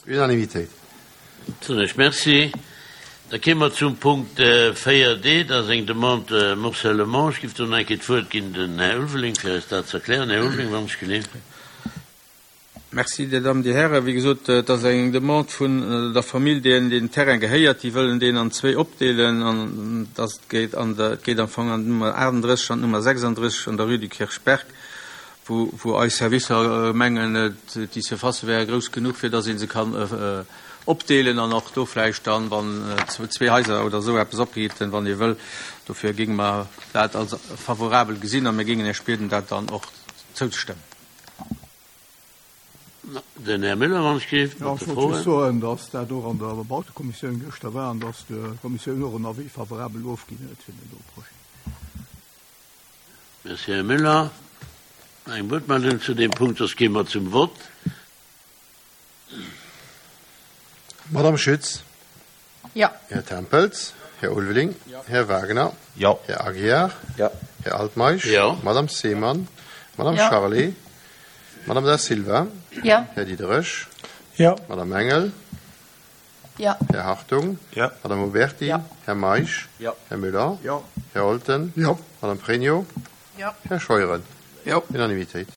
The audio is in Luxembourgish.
Unanimitéit. Soen ech Merci. Da kéime mer zum Punkt 4d. Dat ass eng Demande Morcellement. Ech géif do nach eng Kéier d'Wuert ginn den Här Ulveling, fir eis dat ze erklären. Här Ulveling, wann ech geleeft. Merci, Dir Dammen, Dir Hären. Wéi gesot, et ass eng Demande vun der Famill, deenen deen Terrain gehéiert. Déi wëllen deen an zwéi opdeelen an dass et geet an der, et geet am Fong an d'Nummer 38 an d'Nummer 36 an der Rue du Kirchberg, wou, wou eis Servicer mengen, déi Surfacë wäre grouss genuch, fir dass ee se kann opdeelen an och do vläicht dann, wann zwee Haiser oder esou eppes opgeheet, wann ee wëll. Dofir géinge mer dat als favorabel gesinn a mir géingen Iech bieden, dat dann och zouzestëmmen. Den Här Müller, wann ech géif mat de Froen. Ech wollt just soen, datt dat och an der Bautekommissioun gëschter war an datt d'Kommissioun och en Avis favorabel ofginn huet fir deen do Projet. Merci, Här Müller. Eng Wuertmeldung zu deem Punkt, soss gi mer zum Vott. Madame Schütz. Jo. Här Tempels. Här Ulveling. Här Wagner. Jo. Här Aguiar. Jo. Här Altmeisch. Jo. Madame Seemann. Madame Jo. Charlé. Madame Da Silva. Jo. Här Diderich. Jo. Madame Engel. Jo. Här Hartung. Jo. Madame Oberti. Jo. Här Meisch. Jo. Här Müller. Jo. Här Olten. Jo. Madame Pregno. Jo. Här Scheuren. Jo. Unanimitéit.